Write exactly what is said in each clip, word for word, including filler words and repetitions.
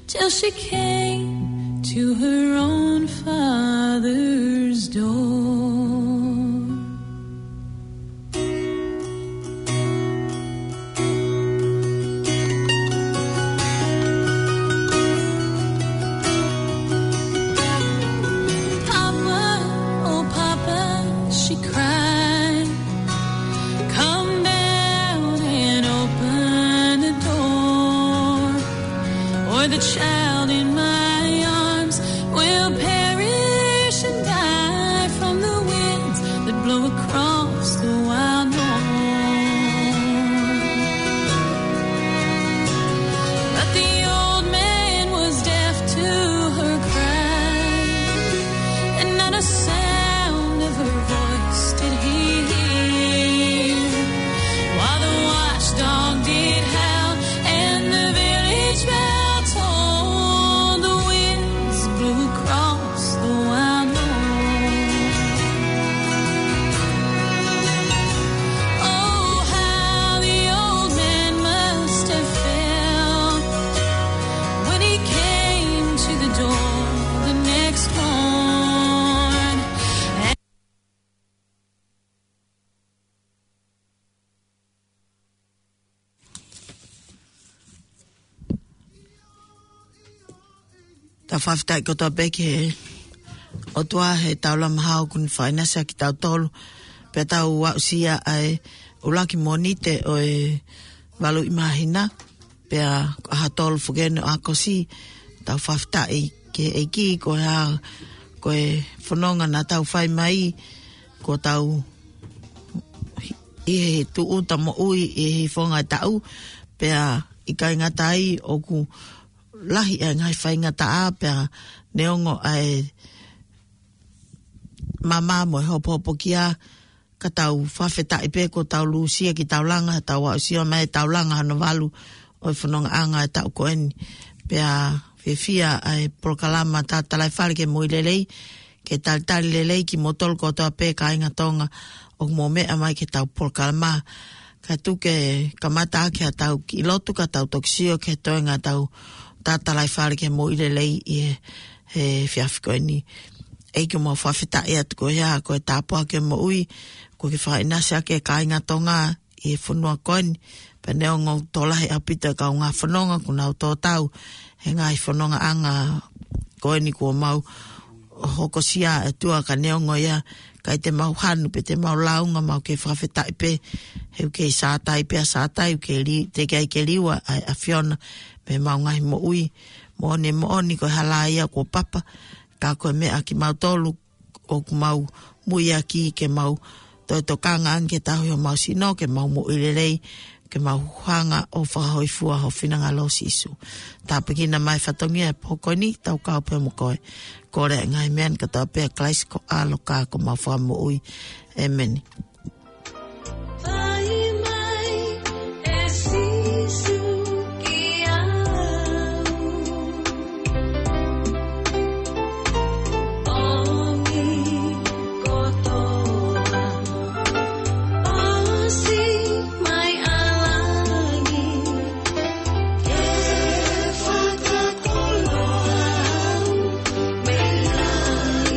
Till she came to her own father's door. Papa, oh Papa, she cried, come down and open the door, or the child in my arms will perish and die from the winds that blow across the wild north. But the old man was deaf to her cry, and not a sound of her voice did he hear. While the watchdog did howl and the village bell tolled, the winds blew across the wild north. Oh, how the old man must have felt when he came to the door the next morn. Tau fakafetaʻi kotoa pē ki he ʻOtua he taulama hao kuo ne faʻinasi ʻa kitautolu. Pea tau aʻusia ʻa e ʻuluaki Mōnite ʻo e valu ʻi māhina. Pea ko e ʻaho tolu foki eni ʻo ʻAokosi. Tau fakafetaʻi ki he ʻEiki ko e hā, ko e fononga naʻa tau fai mai, ko ʻetau ʻi he tuʻuta moʻui ʻi he fonga taʻu, pea ʻikai ngata ai ʻoku lahi ʻa e ngaahi faingataʻa pea neongo ʻa e mama mo e hopohopokia, ka tau fakafetaʻi pē kuo tau lūsia ki taulanga, tau aʻusia mai taulanga hono valu ʻo e fonongaʻanga e taʻu ko eni. Pea fiefia ʻa e polokalama Tatalaifale ki he Moʻui Lelei, ke talitali lelei kimoutolu kotoa pē kāinga Tonga ʻoku mou meʻa mai ki heʻetau polokalama. Kae tuku ke kamata ʻaki haʻatau kiʻi lotu ka tau toki sio ki he toenga ʻetau Tatalaifale ki he Moʻui Lelei ʻi he, he efiafi ko eni. ʻEiki, ʻoku mau fakafetaʻi atu ko e hā, ko e tāpuaki ʻo e moʻui kuo ke faʻinasi ʻaki e kāinga Tonga ʻi he fonua ko eni. Pea neongo ʻoku tokolahi ʻaupito e kaungā fononga kuo nau tō tau he ngaahi fonongaʻanga ko eni kuo mau hokosia ʻe he ʻOtua, ka neongo ia, ʻikai te mau hanu pe te mau lāunga, mau kei fakafetaʻi pē he ʻoku kei sātai pē ʻa sātai, ʻoku kei li-, teʻeki ai ke liua ʻa e ʻAfiona mei heʻemau ngaahi moʻui. Moʻoni, moʻoni ko e hala ia kuo papa, ka ko e meʻa kimautolu ʻoku mau muiaki ke mau toe tokanga ange ki he tauhi homau sino, ke mau moʻui lelei, ke mau hanga ʻo fakahōifua ho finangalo, Sīsū. Tāpuekina mai e fatongia he pō ko eni, tau kau pē mo koe. Kole ʻa e ngaahi meʻa ni kotoa pē ʻia Kalaisi ko ho ʻAlo ka ko homau Fakamoʻui. ʻĒmeni. Fai mai ʻe Sīsū kiate au, ʻomi kotoa, ʻosi mai ʻa langi, ke fakakoloa au mei ai.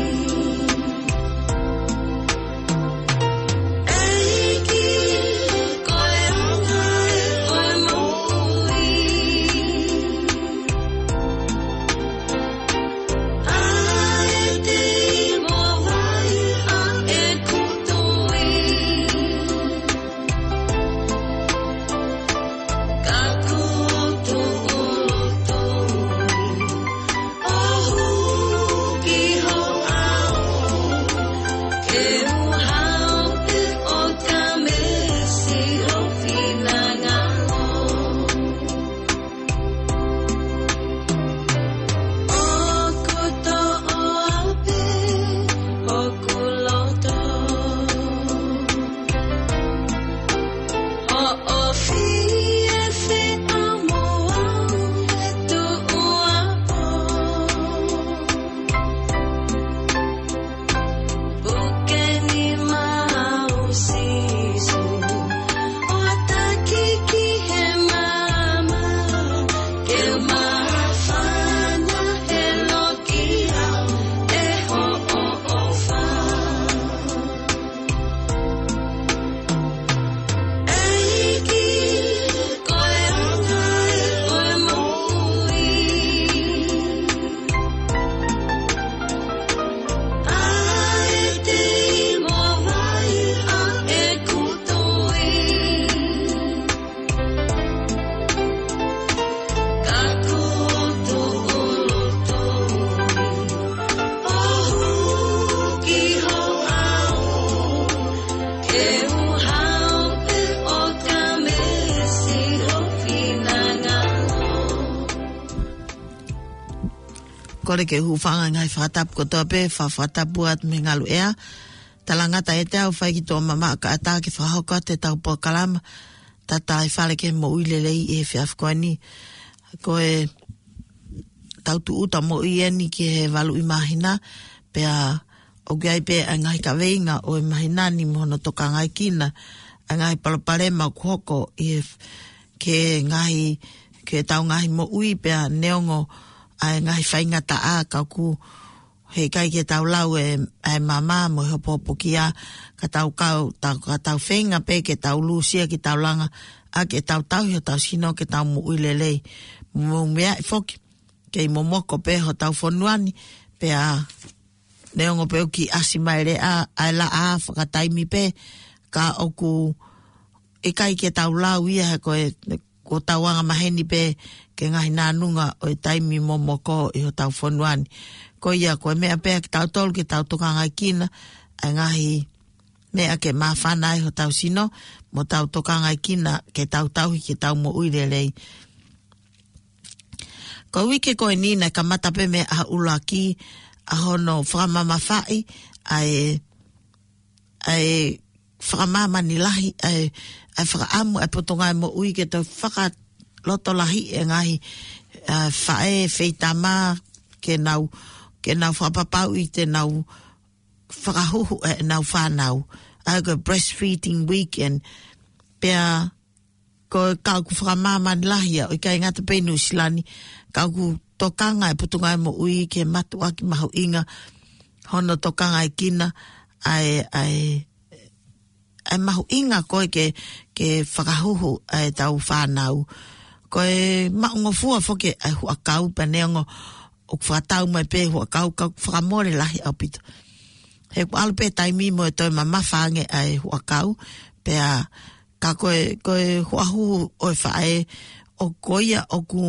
Kole ke u hūfanga he ngaahi fakatapu kotoa pē, fa-, fakatapu atu mei he ngaluʻea. Talangata ʻiate au fai ki tuʻa mamaʻo kae ʻatā ke fakahoko atu ʻetau polokalama, Tataifale ki he Moʻui Lelei ʻi he efiafi ko eni. Ko ʻetau tūʻuta moʻui eni ki he valu ʻi māhina, pea ʻoku ʻi ai pē ʻa e ngaahi kaveinga ʻo e māhina ni mo hono tokangaekina ʻa e ngaahi palopalema ʻoku hoko ʻi he f-, ki he ngaahi, ki heʻetau ngaahi moʻui pea neongo ʻa e ngaahi faingataʻa ka ʻoku heʻikai ke tau lau e, ʻa e maama mo e hopohopokia ka tau kau, tau, ka tau feinga pē ke tau lūsia ke tau langa ʻaki ʻetau tauhi hotau sino ke tau moʻui lelei. Mo meaʻi foki, kei momoko pē hotau fonua ni, pea neongo pē ʻoku kiʻi ʻasi mai leva ʻa e laʻā fakataimi pē, ka ʻoku ʻikai ke tau lau ia he ko e, ko ʻetau anga maheni pē ki he ngaahi nānunga ʻo e taimi momoko ʻi hotau fonua ni. Ko ia, ko e meʻa pē ʻa kitautolu ke tau tokangaekina ʻa e ngaahi meʻa ke māfana ai hotau sino, mo tau tokangaekina ke tau tauhi ke tau moʻui lelei. Ko e uike ko eni naʻe kamata pē mei he ʻuluaki ʻa hono fakamamafaʻi ʻa e, ʻa e fakamāmani lahi, ʻa e, ʻa e fakaʻamu ʻa e Potungāue Moʻui ke toe fakalotolahiʻi e ngaahi, ʻa, faʻē feitama ke nau, ke nau fakapapauʻi te nau fakahuhu ʻenau fānau. ʻA ia ko e Breastfeeding Weekend. Pea ko e kau ʻoku fakamāmani lahi ia, ʻo ʻikai ngata pē ʻi Nuʻusila ni, ka ʻoku tokanga e Potungāue Moʻui ke mātuʻaki mahuʻinga hono tokangaekina ʻa e, ʻa e, ʻa e mahuʻinga ko ē ke, ke fakahuhu ʻa ʻetau fānau. Ko e maʻungofua foki ʻa e huʻakau pea neongo ʻoku fakatau mai pē huʻakau ka ʻoku fakamole lahi ʻaupito. He ʻoku ʻalu pē taimi mo e toe mamafa ange ʻa e huʻakau, pea ka ko e, ko e huʻahuhu ʻo e faʻē, ʻoku ko ia ʻoku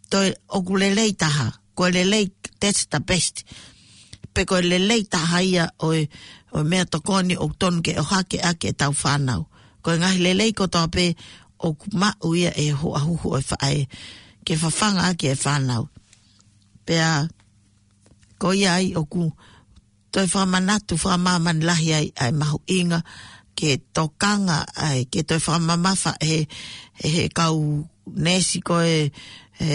toe, ʻoku lelei taha, ko e lelei, that's the best. Pe ko e lelei taha ia ʻo e, ʻo e meʻatokoni ʻoku tonu ke ʻohake ʻaki ʻetau fānau. Ko e ngaahi lelei kotoa pē ʻoku maʻu ia ʻe he huʻahuhu ʻo e faʻē, ke fafanga ʻaki e fānau. Pea ko ia ai ʻoku toe fakamanatu, fakamāmani lahi ai ʻa e mahuʻinga ke tokanga ai, ke toe fakamamafa he, he, he kau neesi ko ē, he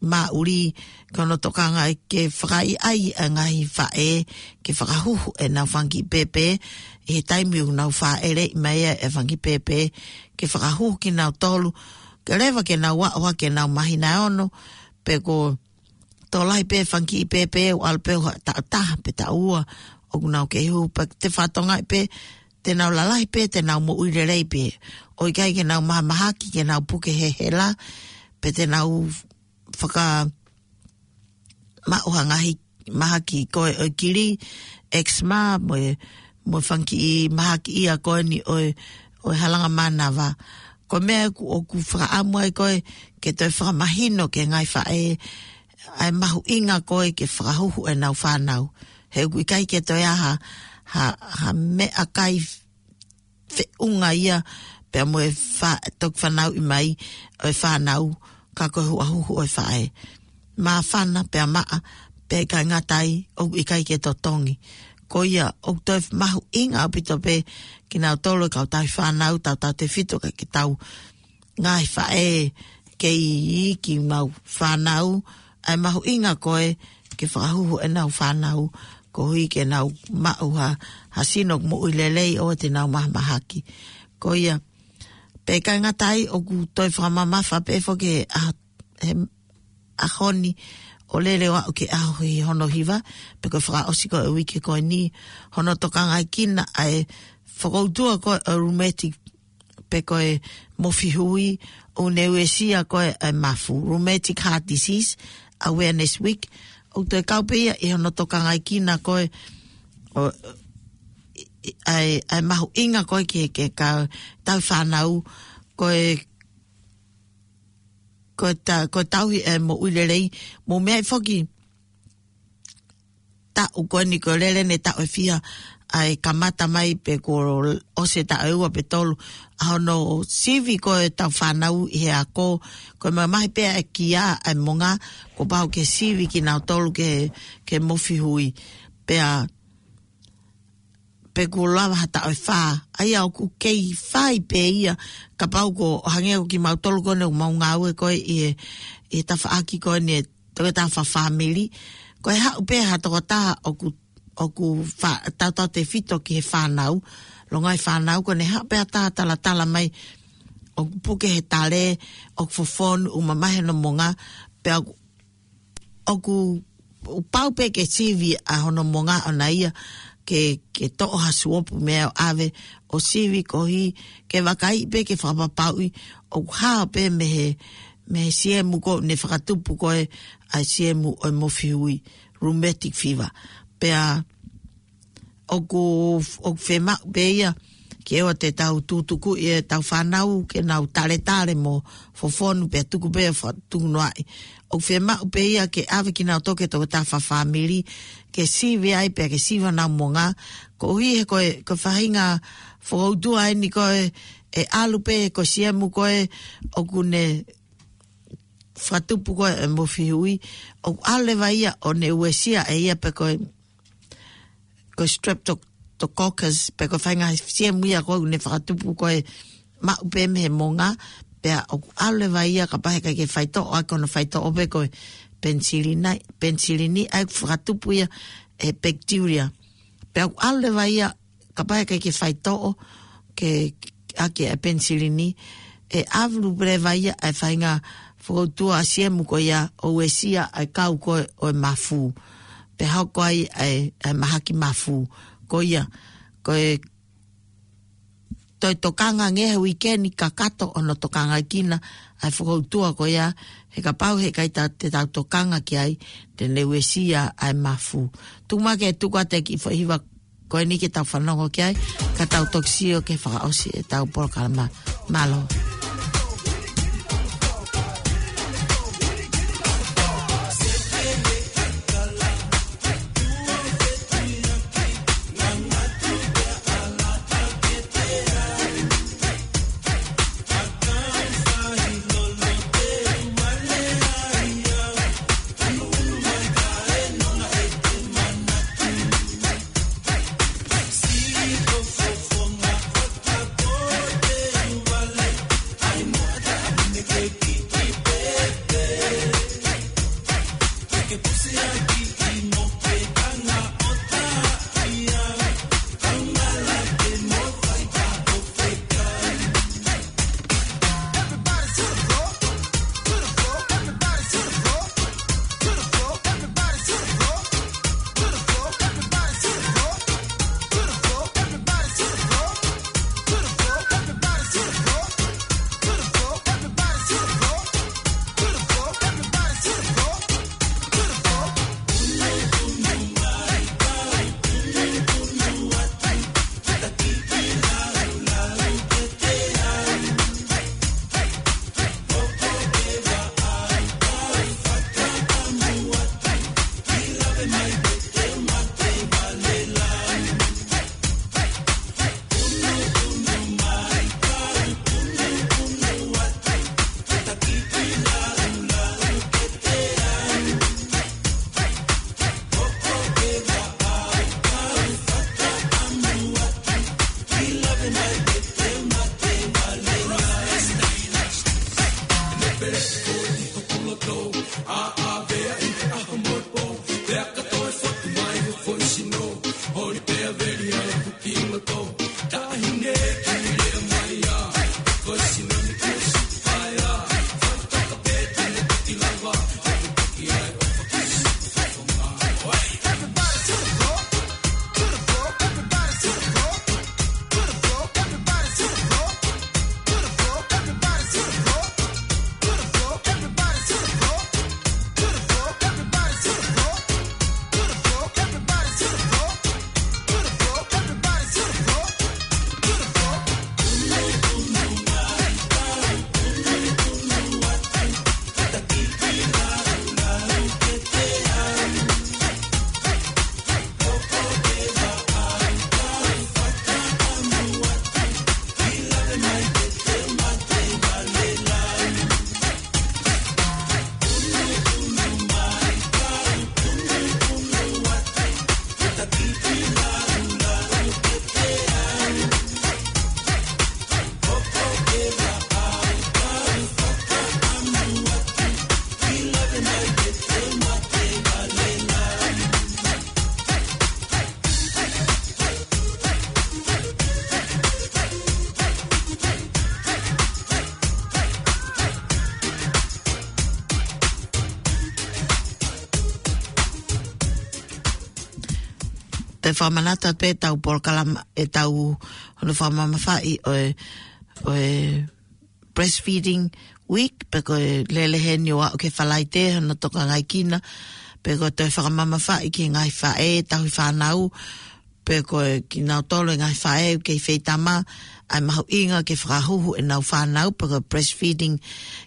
māʻuli, ko hono tokanga ai ke fakaʻaiʻai ʻa e ngaahi faʻē, ke fakahuhu ʻenau fanga kiʻi pēpē, ʻi he taimi ʻoku nau fāʻeleʻi mai ai e fanga kiʻi pēpē, ke fakahuhu kinautolu, ke lava ke nau aʻu hake ʻenau māhina ʻe ono, pe ko tokolahi pē fanga kiʻi pēpē ʻoku ʻalu pē ʻo ha taʻu taha pe taʻu ua ʻoku nau kei huhu, pea te fatongia pē te nau lalahi pē, te nau moʻui lelei pē. ʻO ʻikai ke nau mahamahaki, ke nau puke he hela, pe te nau fakamaʻu ha ngaahi mahaki ko ē ʻo e kili, eczema, mo e, mo e fanga kiʻi mahaki ia ko eni ʻo e, ʻo e halanga mānava. Ko e meʻa ʻoku, ʻoku fakaʻamu ai ko ē ke toe fakamahino ki he ngaahi faʻē ʻa e mahuʻinga ko ē ke fakahuhu ʻenau fānau. He ʻoku ʻikai ke toe ʻi ai ha, ha, ha meʻakai feʻunga ia pea mo e fa-, toki fanauʻi mai ʻo e fānau, ka ko e huʻahuhu ʻo e faʻē. Māfana pea maʻa, pea ʻikai ngata ai, ʻoku ʻikai ke totongi. Ko ia, ʻoku toe mahuʻinga ʻaupito pē kinautolu e kau tauhi fānau, tautautefito ki he kau ngaahi faʻē kei iiki mau fānau, ʻa e mahuʻinga ko ē ke fakahuhu ʻenau fānau, koeʻuhi ke nau maʻu ha, ha sino moʻui lelei ʻo te nau mahamahaki. Ko ia, pea ʻikai ngata ai ʻoku toe fakamamafa pē foki he ʻaho, he ʻaho ni ʻo lele ʻo aʻu ki he ʻaho ʻi hono hiva, pe ko e fakaʻosi ko ē uike ko eni, hono tokangaekina ʻa e fakautua ko ē ʻo e rheumatic pe ko e mofihui ʻoku ne uesia ko ē ʻa e mafu, Rheumatic Heart Disease Awareness Week, ʻoku toe kau pē ia ʻi hono tokangaekina ko ē ʻo, ʻa e, ʻa e mahuʻinga ko ē ke, ke kau tauhi fānau, ko e, ko e ta-, ko e tauhi e moʻui lelei, mo meʻa foki taʻu ko eni ko e lele ʻene taʻu ʻe fiha ʻa e kamata mai pe kuo ʻosi e taʻu ʻe ua pe tolu ʻa hono sivi ko e tau fānau ʻi he ako. Ko e mamahi pē ʻa e kia ʻa e monga, kuo pau ke sivi kinautolu ke, ke mofi hui. Pea pe kuo lava ha taʻu ʻe fā. ʻA ia ʻoku kei fai pē ia, kapau ko ʻo hangē ko kimautolu ko eni ʻoku mau ngāue ko ē ʻi he, ʻi he tafaʻaki ko eni ʻa e toketā fafāmili. Ko e haʻu pē ha tokotaha ʻoku, ʻoku fa-, tautautefito ki he fānau, longaʻi fānau, ko ʻene haʻu pē ha taha talatala mai, ʻoku puke he tale, ʻoku fofonu, ʻoku mamahi hono monga, pea ʻoku ʻoku pau pē ke sivi ʻa hono monga ʻona ia ke, ke toʻo ha suopu meʻa ʻo ʻave ʻo sivi koeʻuhi ke vakaiʻi pē ke fakapapauʻi ʻoku hao pē mei he, mei he siemu ko ē ne fakatupu ko ē ʻa e siemu ʻo e mofi hui, rheumatic fever. Pea ʻoku, ʻoku fiemaʻu pē ia ke ʻoua te tau tutuku ʻi heʻetau fānau ke nau taletale mo fofonu pea tuku pē ʻo fa-, tukunoaʻi. ʻOku fiemaʻu pē ia ke ʻave kinautolu ki he toketā fafāmili ke sivi ai pea ke sivi honau monga. Koeʻuhi he ko e, ko e faʻahinga fokoutua eni ko ē ʻe ʻalu pē ko e siemu ko ē ʻoku ne fakatupu ko ē ʻa e mofi hui. ʻOku ʻalu leva ia ʻo ne uesia ʻe ia pē ko e ko e streptococcus, pe ko e faʻahinga siemu ia ko ē ʻoku ne fakatupu ko ē maʻu pē mei he monga, pea ʻoku ʻalu leva ia kapau he ʻikai ke faitoʻo ʻaki hono faitoʻo pē ko e penisilini, penisilini ʻa ia ʻoku fakatupu ia ʻe he bacteria. Pea ʻoku ʻalu leva ia kapau he ʻikai ke faitoʻo ke ʻaki ʻa e penisilini, ʻe ʻalu pē leva ia ʻa e faʻahinga fokoutua ʻa e siemu ko ia ʻo uesia ʻa e kau ko ē ʻo e mafu. Pea hoko ai ʻa e, ʻa e mahaki mafu. Ko ia, ko e toe tokanga ange he uike ni kakato hono tokangaʻi kinaua ʻa e fokoutua ko ia, he kapau he ʻikai te tau tokanga ki ai, te ne uesia ʻa e mafu. Tuku muʻa ke tuku atu e kiʻi foʻi hiva ko eni ke tau fanongo ki ai, ka tau toki sio ki he fakaʻosi ʻetau polokalama. Mālō. te fakamanatu pē ʻetau polokalama, ʻetau hono fakamamafaʻi ʻo e, ʻo e breastfeeding week, pe ko e lele heni ʻo aʻu ki he Falaite, hono tokangaʻi kina, pe ko e toe fakamamafaʻi ki he ngaahi faʻē, tauhi fānau, pe ko e kinautolu e ngaahi faʻē ʻoku kei feitama, ʻa e mahuʻinga ke fakahuhu ʻenau fānau, pe ko e breastfeeding,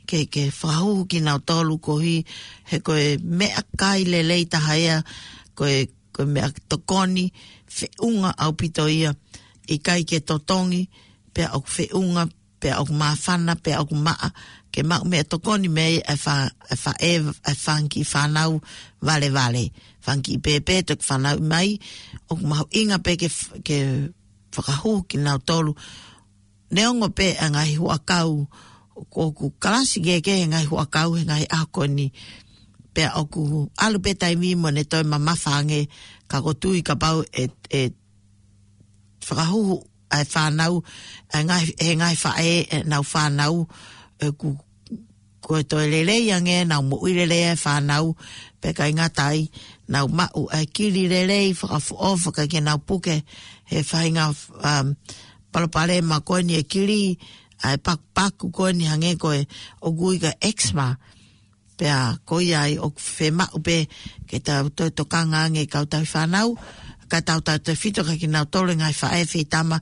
ke, ke fakahuhu kinautolu koeʻuhi, he ko e meʻakai lelei taha ia, ko e, ko e meʻatokoni feʻunga ʻaupito ia, ʻikai ke totongi, pea ʻoku feʻunga, pea ʻoku māfana, pea ʻoku maʻa, ke maʻu meʻatokoni mei ai ʻa e fa-, ʻa e faʻē, ʻa e fanga kiʻi fānau valevale, fanga kiʻi pēpē toki fanauʻi mai, ʻoku mahuʻinga pē ke f-, ke fakahuhu kinautolu. Neongo pē ʻa e ngaahi huʻakau, ʻoku kalasi kehekehe e ngaahi huʻakau he ngaahi ʻaho ko eni, pea ʻoku ʻalu pē taimi mo ne toe mamafa ange, ka ʻoku ou tui kapau ʻe, ʻe fakahuhu ʻa e fānau, ʻa e ngaahi, he ngaahi faʻē ʻenau fānau, ʻoku, ko e toe lelei ange, nau moʻui lelei ʻa e fānau, pea ʻikai ngata ai, nau maʻu ʻa e kili lelei, fakafoʻou, fakaʻikai ke nau puke he faʻahinga, um, palopalema ko eni e kili, ʻa e pakupaku ko eni hangē ko e ʻoku ui ko e eczema. Pea ko ia ai ʻoku fiemaʻu pē ke tau toe tokanga ange kau tauhi fānau, kae tautautefito kia kinautolu e ngaahi faʻē feitama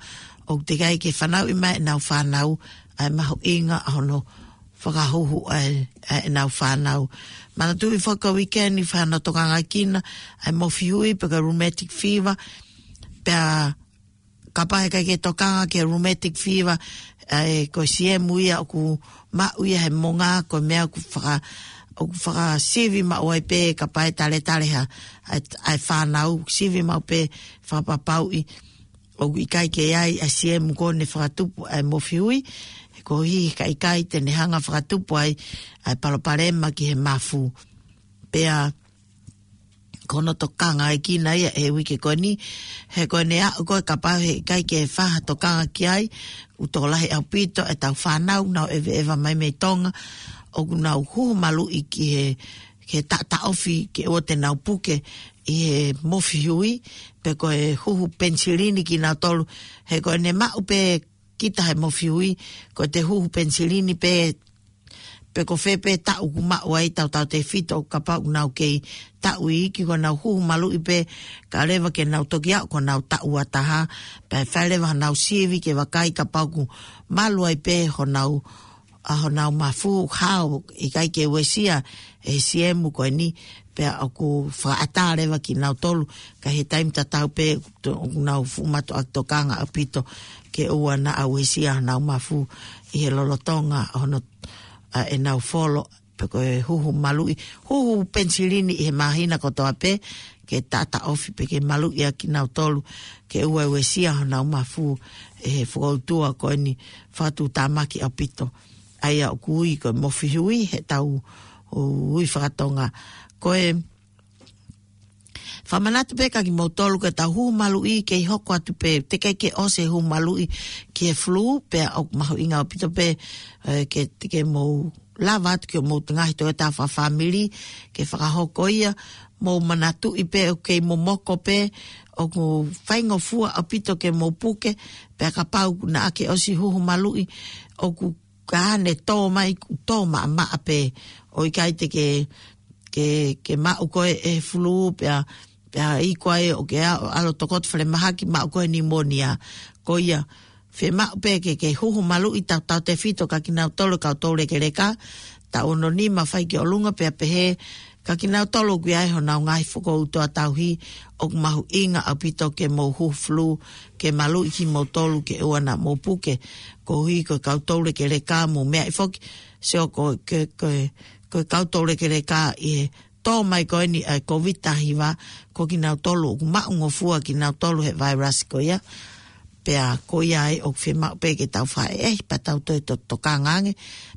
ʻoku teʻeki ai ke fanauʻi mai ʻenau fānau, ʻa e mahuʻinga ʻa hono fakahuhu ʻa e, ʻa ʻenau fānau. Manatuʻi foki ko e weekend ʻe fai hono tokangaʻi kina ʻa e mofihui pe ko e rheumatic fever, pea kapau heʻikai ke tokanga ki he rheumatic fever, ʻa e ko e siemu ia ʻoku maʻu ia he monga, ko e meʻa ʻoku faka-, ʻoku fakasivi maʻu ai pē kapau ʻe taletale ha, ʻa e, ʻa e fānau, sivi maʻu pē fakapapauʻi ʻoku ʻikai ke ʻi ai ʻa e siemu ko eni ʻe fakatupu ʻa e mofihui, he koeʻuhi ka ʻikai te ne hanga fakatupu ai ʻa e palopalema ki he mafu. Pea ko hono tokangaʻi kina ia he uike ko eni, he ko eni aʻu ko e kapau heʻikai ke fai ha tokanga ki ai, ʻoku tokolahi ʻaupito ʻetau fānau, nau ʻeveʻeva mai mei Tonga, ʻoku nau huhu maluʻi ki he, ki he taʻataʻofi ke ʻoua te nau puke ʻi he mofihui, pe ko e huhu penisilini kinautolu, he ko eni maʻu pē kita he mofihui, ko e te huhu penisilini pē, pe ko fē pē taʻu ʻoku maʻu ai, tautautefito kapau ʻoku nau kei taʻu iiki, ko ʻenau huhu maluʻi pē, kae ʻoua leva ke nau toki aʻu ki honau taʻu ua taha, pea fai leva honau sivi ke vakai kapau ʻoku malu ai pē honau, ʻa honau mafu, hao, ʻikai ke uesia ʻe he siemu ko eni, pea ʻoku fakaʻatā leva kinautolu, ka he taimi tatau pē ʻoku nau fuʻu mātuʻaki tokanga ʻaupito ke ʻoua naʻa uesia honau mafu ʻi he lolotonga hono, ʻa ʻenau folo, pe ko e huhu maluʻi, huhu penisilini ʻi he māhina kotoa pē, ke taʻataʻofi pe ke maluʻi ʻa kinautolu, ke ʻoua uesia honau mafu ʻe he fokoutua ko eni fakatuʻutāmaki ʻaupito. ʻA ia ʻoku ui ko e mofihui heʻetau ui fakatonga. Ko e fakamanatu pē kia kimoutolu ko ʻetau huhu maluʻi kei hoko atu pē, teʻeki ke ʻosi e huhu maluʻi ki he flu, pea ʻoku mahuʻinga ʻaupito pē, ē, ke, ke mou lava atu ki homou ngaahi tokotaha fakafāmili, ke fakahoko ia, mou manatuʻi pē ʻoku kei momoko pē, ʻoku faingofua ʻaupito ke mou puke, pea kapau naʻa ke ʻosi huhu maluʻi, ʻoku ka ne tō mai, ʻoku tō maʻamaʻa pē, ʻo ʻikai te ke, ke, ke maʻu koe ʻe he flu, pea, pea iku ai ʻo ke ʻalu, ʻalu tokoto falemahaki maʻu koe pneumonia. Ko ia, fiemaʻu pē ke, ke huhu maluʻi tautautefito kia kinautolu kau toulekeleka, taʻu ono nima fai ki ʻolunga pea pehē, kia kinautolu ʻoku ʻi ai honau ngaahi fokoutua tauhi, ʻoku mahuʻinga ʻaupito ke mou huhu flu, ke maluʻi kimoutolu ke ʻoua naʻa mou puke, koeʻuhi ko e kau toulekeleka mo e meʻa foki, sio ko e, ko e, ko e kau toulekeleka ʻi he tō mai ko eni ʻa e Covid taha hiva, ko kinautolu ʻoku maʻungofua kinautolu he vairasi ko ia. Pea ko ia ai ʻoku fiemaʻu pē ke tau fai ē, pea tau toe to-, tokanga ange.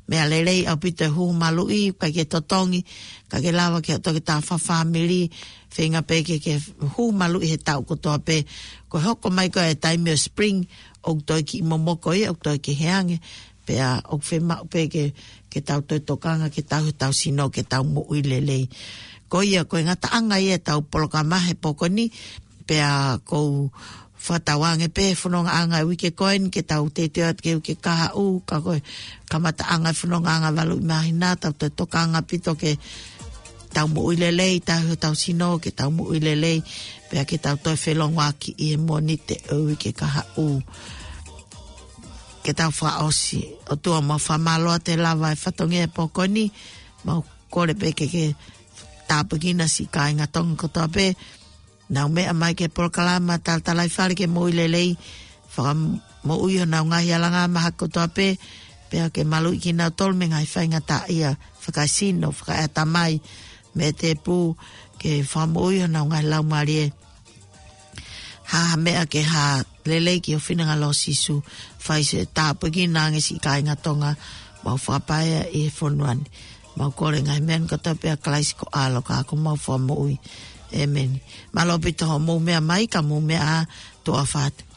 Meʻa lelei ʻaupito e huhu maluʻi, ʻikai ke totongi, ka ke lava ki he tokotaha fakafāmili, feinga pē ke, ke huhu maluʻi he taʻu kotoa pē, ko e hoko mai ko ē e taimi ʻo spring, ʻoku toe kiʻi momoko ia, ʻoku toe kehe ange, pea ʻoku fiemaʻu pē ke, ke tau toe tokanga, ke tau, tau sino, ke tau moʻui lelei. Ko ia, ko e ngataʻanga ia ʻetau polokalama he pō ko eni, Pea ʻoku ou fakatauange pē he fonongaʻanga ʻo e uike ko eni ke tau teuteu atu ki he uike kahaʻu, ka ko e kamataʻanga e fonongaʻanga valu ʻi māhina, tau toe tokanga ʻaupito ke tau moʻui lelei, tauhi hotau sino, ke tau moʻui lelei, pea ke tau toe felongoaki ʻi he Mōnite ʻo e uike kahaʻu. Ke tau fakaʻosi. ʻOtua, mau fakamālō atu he lava e fatongia he pō ko eni, mau kole pē ke ke tāpuekina siʻi kāinga Tonga kotoa pē, nau meʻa mai ki he polokalama Talatalaifale ki he Moʻui Lelei, fakamoʻui honau ngaahi alanga mahaki kotoa pē, pea ke maluʻi kinautolu mei he ngaahi faingataʻaʻia fakaesino, fakaeʻatamai, mo e tēpū, ke fakamoʻui honau ngaahi laumālie. Hā ha meʻa ke hā lelei ki ho finangalo Sīsū, fai siʻo tāpuekina ange siʻi kāinga Tonga, mau fakapaea ʻi he fonua ni. Mau kole ngaahi meʻa ni kotoa pē ʻia Kalaisi ko ho ʻAlo ka ko homau Fakamoʻui. ʻĒmeni. Mālō ʻaupito hoʻomou meʻa mai, ka mou meʻa ā, tuʻa ʻofa atu.